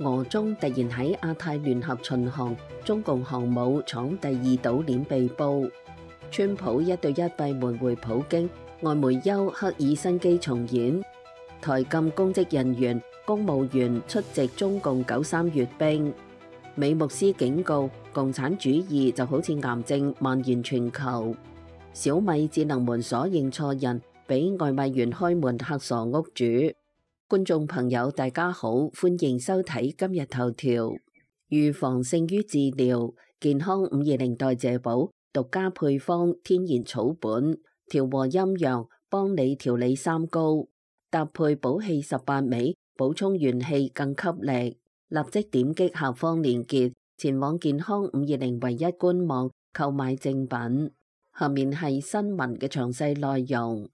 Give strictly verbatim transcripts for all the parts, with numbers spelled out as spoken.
俄中突然喺亞太聯合巡航，中共航母闖第二島鏈被捕。川普一對一閉門會普京，外媒憂赫爾辛基重演。台禁公職人員、公務員出席中共九三閱兵。美牧師警告，共產主義就好似癌症蔓延全球。小米智能門鎖認錯人，俾外賣員開門嚇傻屋主。觀眾朋友大家好，歡迎收睇今日頭條。預防勝於治療，健康五二零代謝寶獨家配方，天然草本，調和陰陽，幫你調理三高，搭配補氣十八味，補充元氣更給力。立即點擊下方鏈接，前往健康五二零唯一官網購買正品。下面係新聞嘅詳細內容。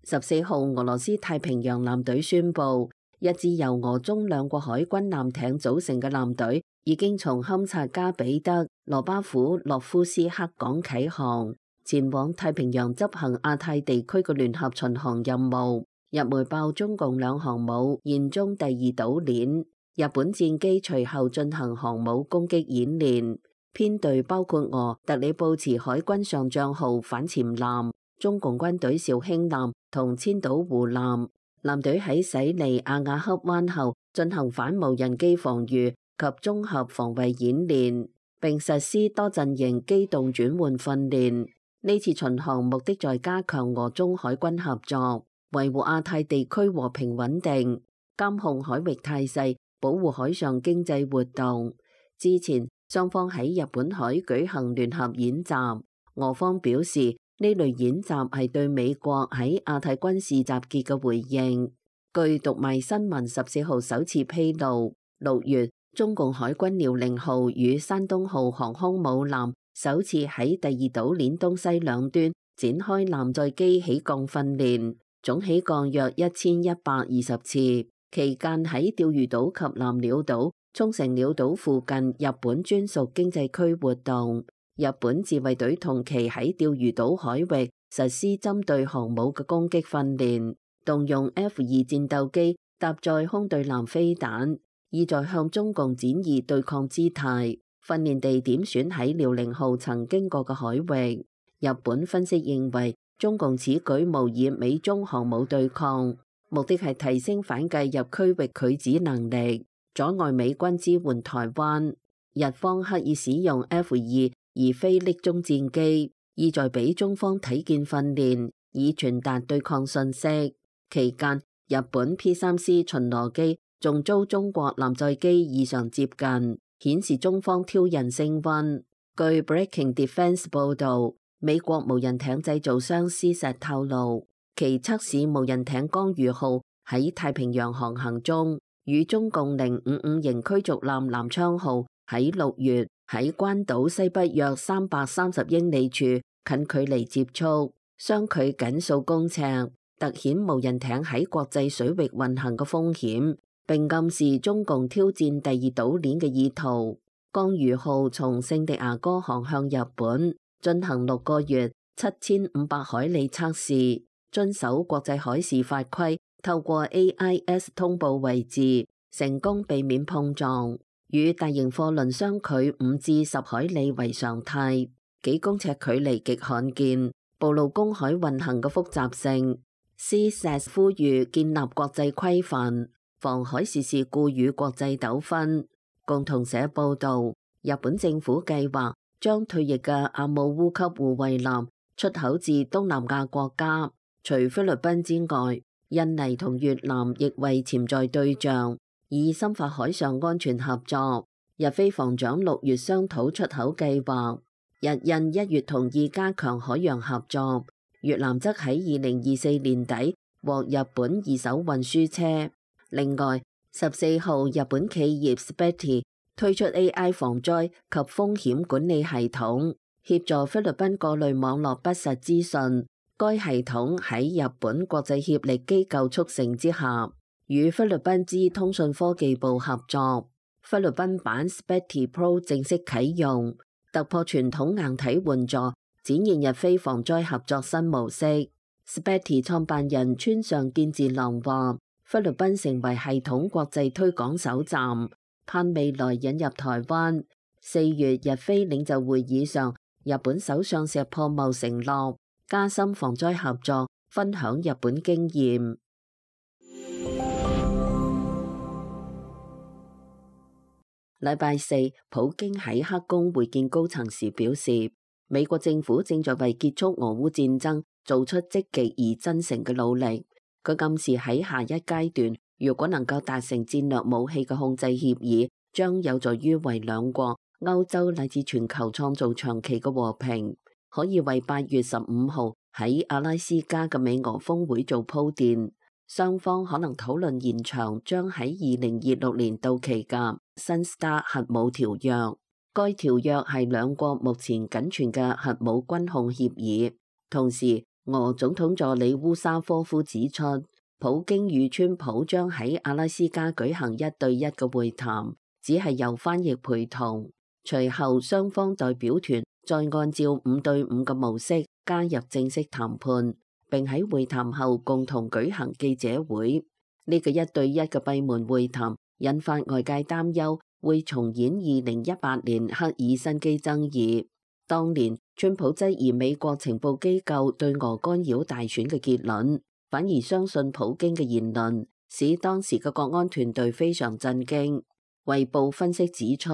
十四號，俄羅斯太平洋艦隊宣布，一支由俄中兩國海軍艦艇組成嘅艦隊已經從堪察加彼得羅巴甫洛夫斯克港啟航，前往太平洋執行亞太地區嘅聯合巡航任務。日媒爆中共兩航母現蹤第二島鏈，日本戰機隨後進行航母攻擊演練，編隊包括俄特里布茨海軍上將號反潛艦、中共軍隊紹興艦同千島湖艦。艦隊喺駛離阿瓦克灣後進行反無人機防禦及綜合防衛演練，並實施多陣營機動轉換訓練。呢次巡航目的在加強俄中海軍合作，維護亞太地區和平穩定，監控海域態勢，保護海上經濟活動。之前雙方喺日本海舉行聯合演習，俄方表示呢類演習係對美國喺亞太軍事集結嘅回應。據讀賣新聞十四號首次披露，六月中共海軍遼寧號與山東號航空母艦首次喺第二島鏈東西兩端展開艦載機起降訓練。總起降約一千一百二十次，期間喺釣魚島及南鳥島、沖繩鳥島附近日本專屬經濟區活動。日本自衛隊同期喺釣魚島海域實施針對航母嘅攻擊訓練，動用 F 二戰鬥機搭載空對艦飛彈，意在向中共展現對抗姿態。訓練地點選喺遼寧號曾經過嘅海域。日本分析認為，中共此舉模擬美中航母對抗，目的係提升反介入區域拒止能力，阻礙美軍支援台灣。日方刻意使用 F 二而非匿蹤戰機，意在俾中方睇見訓練，以傳達對抗信息。期間，日本 P 三 C 巡邏機仲遭中國艦載機異常接近，顯示中方挑釁升溫。據 Breaking Defense 報導，美國無人艇製造商施石透露，其測試無人艇江魚號喺太平洋航行中，與中共零五五型驅逐艦南昌號喺六月喺關島西北約三百三十英里處近距離接觸，相距僅數公尺，凸顯無人艇喺國際水域運行嘅風險，並暗示中共挑戰第二島鏈嘅意圖。江魚號從聖地亞哥航向日本，進行六個月七千五百海里測試，遵守國際海事法規，透過 A I S 通報位置，成功避免碰撞。與大型貨輪相距五至十海里為常態，幾公尺距離極罕見，暴露公海運行嘅複雜性。C S A S 呼籲建立國際規範，防海事事故與國際糾紛。共同社報導，日本政府計劃將退役嘅阿姆烏級護衛艦出口至東南亞國家，除菲律賓之外，印尼同越南亦為潛在對象，以深化海上安全合作。日菲防長六月商討出口計劃，日印一月同意加強海洋合作。越南則喺二零二四年底獲日本二手運輸車。另外，十四號日本企業 Spetty推出 A I 防災及風險管理系統，協助菲律賓過濾網絡不實資訊。該系統喺日本國際協力機構促成之下，與菲律賓之通訊科技部合作。菲律賓版 Spetty Pro 正式啟用，突破傳統硬體援助，展現日菲防災合作新模式。Spetty 創辦人村上健治郎話，菲律賓成為系統國際推廣首站，盼未來引入台灣。四月日菲領袖會議上，日本首相石破茂承諾加深防災合作，分享日本經驗。禮拜四，普京喺黑宮會見高層時表示，美國政府正在為結束俄烏戰爭做出積極而真誠嘅努力。佢暗示喺下一階段，如果能夠達成戰略武器嘅控制協議，將有助於為兩國、歐洲乃至全球創造長期嘅和平，可以為八月十五號喺阿拉斯加嘅美俄峰會做鋪墊。雙方可能討論延長將喺二零二六年到期嘅新 START 核武條約。該條約係兩國目前僅存嘅核武軍控協議。同時，俄總統助理烏沙科夫指出，普京與川普將喺阿拉斯加舉行一對一嘅會談，只係由翻譯陪同。隨後，雙方代表團再按照五對五嘅模式加入正式談判。並喺會談後共同舉行記者會。呢個一對一嘅閉門會談引發外界擔憂，會重演二零一八年赫爾辛基爭議。當年川普質疑美國情報機構對俄干擾大選嘅結論，反而相信普京嘅言論，使當時嘅國安團隊非常震驚。衛報分析指出，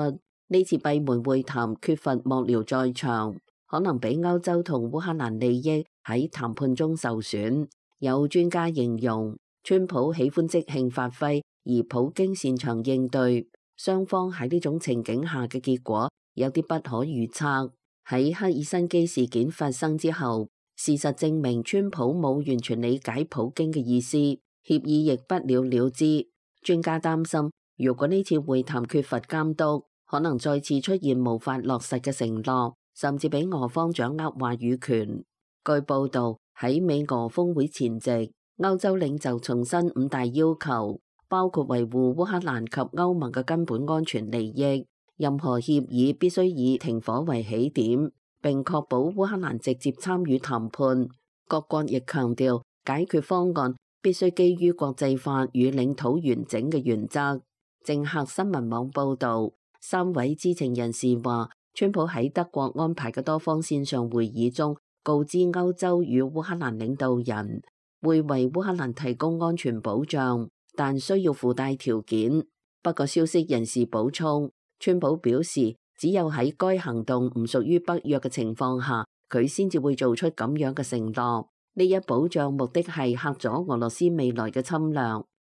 呢次閉門會談缺乏幕僚在場，可能俾歐洲同烏克蘭利益喺談判中受損。有專家形容，川普喜歡即興發揮，而普京擅長應對。雙方喺呢種情景下嘅結果有啲不可預測。喺赫爾辛基事件發生之後，事實證明川普冇完全理解普京嘅意思，協議亦不了了之。專家擔心，如果呢次會談缺乏監督，可能再次出現無法落實嘅承諾，甚至俾俄方掌握話語權。據報導，喺美俄峰會前夕，歐洲領袖重申五大要求，包括維護烏克蘭及歐盟嘅根本安全利益，任何協議必須以停火為起點，並確保烏克蘭直接參與談判。各國亦強調，解決方案必須基於國際法與領土完整嘅原則。政客新聞網報導，三位知情人士話，川普喺德國安排嘅多方線上會議中，告知歐洲與烏克蘭領導人會為烏克蘭提供安全保障，但需要附帶條件。不過消息人士補充，川普表示只有喺該行動唔屬於北約嘅情況下，佢先至會做出咁樣嘅承諾。呢一保障目的係嚇阻俄羅斯未來嘅侵略，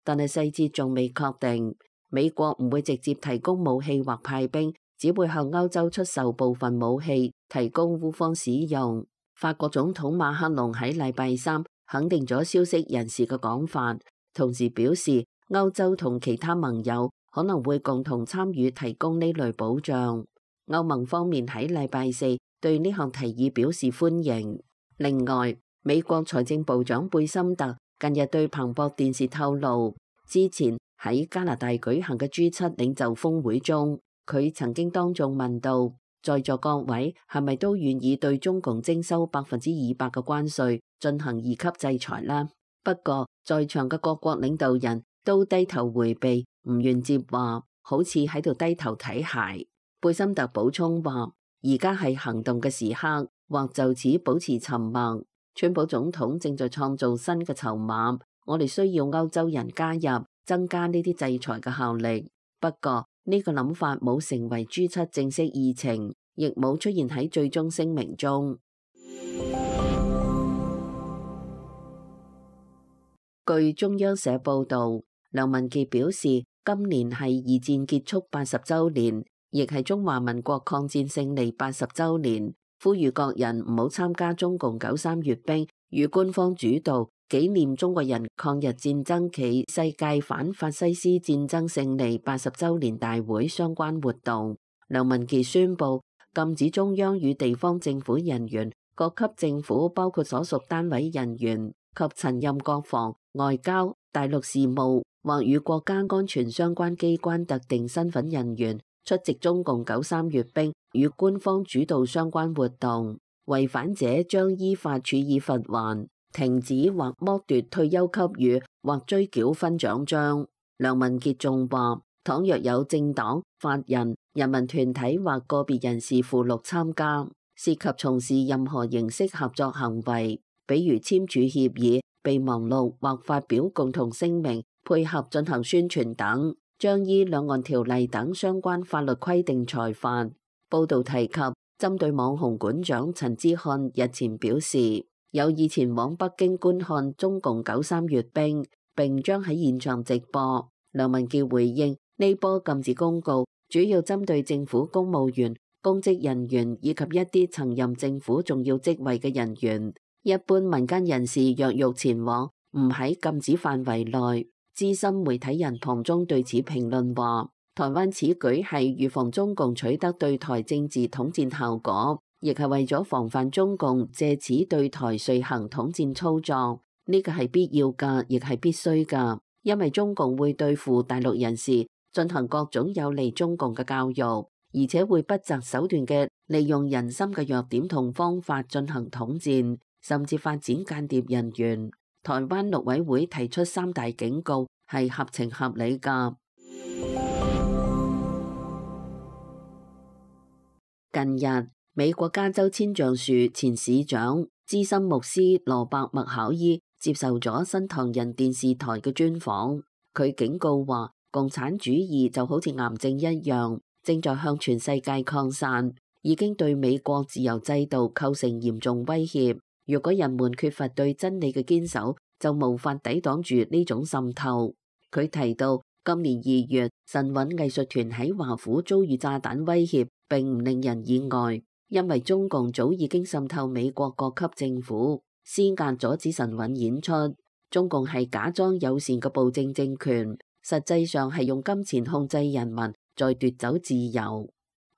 但係細節仲未確定。美國唔會直接提供武器或派兵，只會向歐洲出售部分武器，提供烏方使用。法國總統馬克龍喺禮拜三肯定咗消息人士嘅講法，同時表示歐洲同其他盟友可能會共同參與提供呢類保障。歐盟方面喺禮拜四對呢項提議表示歡迎。另外，美國財政部長貝森特近日對彭博電視透露，之前喺加拿大舉行嘅 G 七領袖峰會中，佢曾經當眾問到，在座各位係咪都願意對中共徵收百分之二百嘅關稅，進行二級制裁呢？不過，在場嘅各國領導人都低頭迴避，唔願接話，好似喺度低頭睇鞋。貝森特補充話，而家係行動嘅時刻，或就此保持沉默。川普總統正在創造新嘅籌碼，我哋需要歐洲人加入，增加呢啲制裁嘅效力。不過，呢個諗法冇成為 G 七正式議程，亦冇出現喺最終聲明中。據中央社報導，梁文傑表示，今年係二戰結束八十週年，亦係中華民國抗戰勝利八十週年，呼籲各人唔好參加中共九三閱兵與官方主導紀念中國人抗日戰爭暨世界反法西斯戰爭勝利八十週年大會相關活動。梁文傑宣布禁止中央與地方政府人員、各級政府包括所屬單位人員及曾任國防、外交、大陸事務或與國家安全相關機關特定身份人員出席中共九三閱兵與官方主導相關活動，違反者將依法處以罰鍰。停止或剝奪退休給予或追繳勳獎章。梁文傑仲話，倘若有政黨、法人、人民團體或個別人士附錄參加，涉及從事任何形式合作行為，比如簽署協議、備忘錄或發表共同聲明、配合進行宣傳等，將依兩岸條例等相關法律規定裁罰。報道提及，針對網紅館長陳之漢日前表示有意前往北京觀看中共九三閱兵，並將喺現場直播。梁文傑回應，呢波禁止公告主要針對政府公務員、公職人員以及一啲曾任政府重要職位嘅人員。一般民間人士若欲前往，唔喺禁止範圍內。資深媒體人龐中對此評論話，台灣此舉係預防中共取得對台政治統戰效果，亦係為咗防範中共借此對台遂行統戰操作。呢個係必要㗎，亦係必須㗎，因為中共會對付大陸人士進行各種有利中共嘅教育，而且會不擇手段嘅利用人心嘅弱點同方法進行統戰，甚至發展間諜人員。台灣陸委會提出三大警告係合情合理㗎。近日，美國加州千橡樹前市長資深牧師羅伯麥考伊接受咗新唐人電視台嘅專訪，佢警告話，共產主義就好似癌症一樣，正在向全世界擴散，已經對美國自由制度構成嚴重威脅。如果人們缺乏對真理嘅堅守，就無法抵擋住呢種滲透。佢提到，今年二月神韻藝術團喺華府遭遇炸彈威脅，並唔令人意外，因為中共早已經滲透美國各級政府，施壓阻止神韻演出。中共係假裝友善嘅暴政政權，實際上係用金錢控制人民，再奪走自由。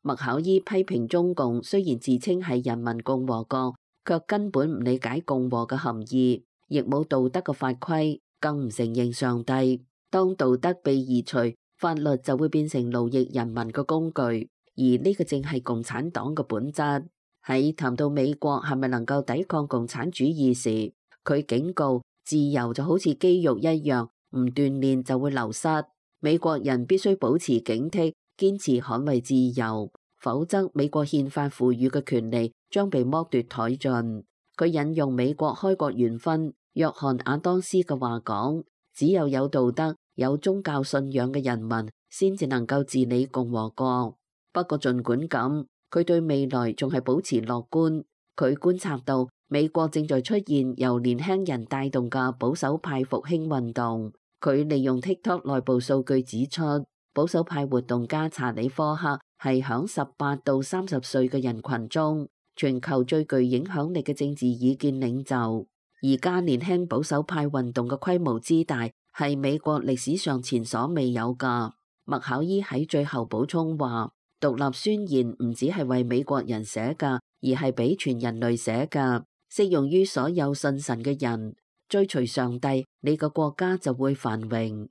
麥考伊批評中共雖然自稱係人民共和國，卻根本唔理解共和嘅含義，亦冇道德嘅法規，更唔承認上帝。當道德被移除，法律就會變成奴役人民嘅工具，而呢個正係共產黨嘅本質。喺談到美國係咪能夠抵抗共產主義時，佢警告自由就好似肌肉一樣，唔鍛煉就會流失。美國人必須保持警惕，堅持捍衛自由，否則美國憲法賦予嘅權利將被剝奪殆盡。佢引用美國開國元勳約翰亞當斯嘅話講，只有有道德、有宗教信仰嘅人民先至能夠治理共和國。不過儘管咁，佢對未來仲係保持樂觀。佢觀察到美國正在出現由年輕人帶動嘅保守派復興運動。佢利用 TikTok 內部數據指出，保守派活動家查理科克係響十八到三十歲嘅人群中全球最具影響力嘅政治意見領袖。而家年輕保守派運動嘅規模之大，係美國歷史上前所未有㗎。麥考伊喺最後補充話，獨立宣言唔只係為美國人寫㗎，而係俾全人類寫㗎，適用於所有信神嘅人。追隨上帝，你個國家就會繁榮。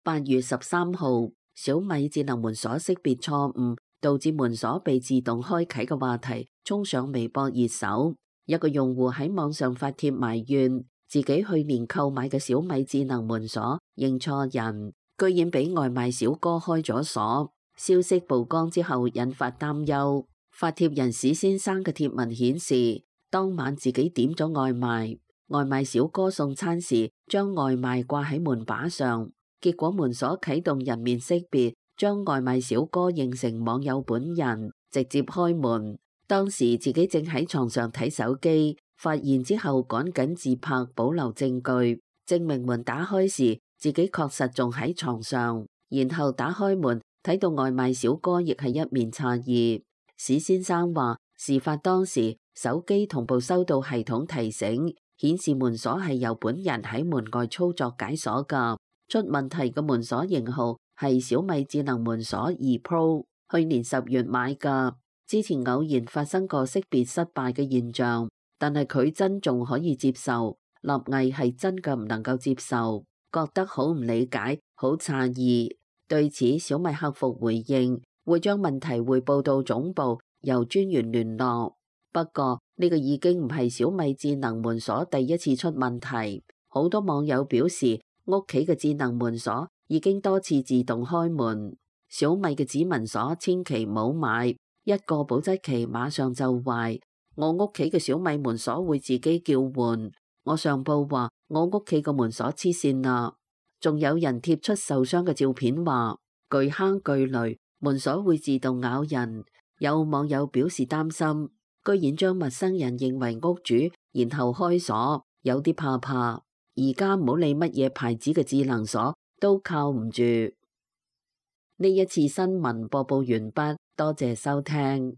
八月十三號，小米智能門鎖識別錯誤，導致門鎖被自動開啟嘅話題衝上微博熱搜。一個用戶喺網上發帖埋怨，自己去年購買嘅小米智能門鎖認錯人，居然俾外賣小哥開咗鎖。消息曝光之後引發擔憂。發帖人史先生嘅帖文顯示，當晚自己點咗外賣，外賣小哥送餐時將外賣掛喺門把上，結果門鎖啟動人面識別，將外賣小哥認成網友本人，直接開門。當時自己正喺床上睇手機，發現之後趕緊自拍保留證據，證明門打開時自己確實仲喺床上。然後打開門睇到外賣小哥亦係一面詫異。史先生話，事發當時手機同步收到系統提醒，顯示門鎖係由本人喺門外操作解鎖㗎。出問題嘅門鎖型號係小米智能門鎖二 Pro， 去年十月買㗎。之前偶然發生過識別失敗嘅現象，但係佢真仲可以接受。立毅係真嘅唔能夠接受，覺得好唔理解，好詫異。對此，小米客服回應，會將問題匯報到總部，由專員聯絡。不過呢個已經唔係小米智能門鎖第一次出問題，好多網友表示屋企嘅智能門鎖已經多次自動開門。小米嘅指紋鎖千祈唔好買，一個保質期馬上就壞。我屋企嘅小米門鎖會自己叫喚。我上報話我屋企個門鎖黐線啦，仲有人貼出受傷嘅照片話巨坑巨雷，門鎖會自動咬人。有網友表示擔心，居然將陌生人認為屋主，然後開鎖，有啲怕怕。而家唔好理乜嘢牌子嘅智能鎖，都靠唔住。呢一次新聞播報完畢，多謝收聽。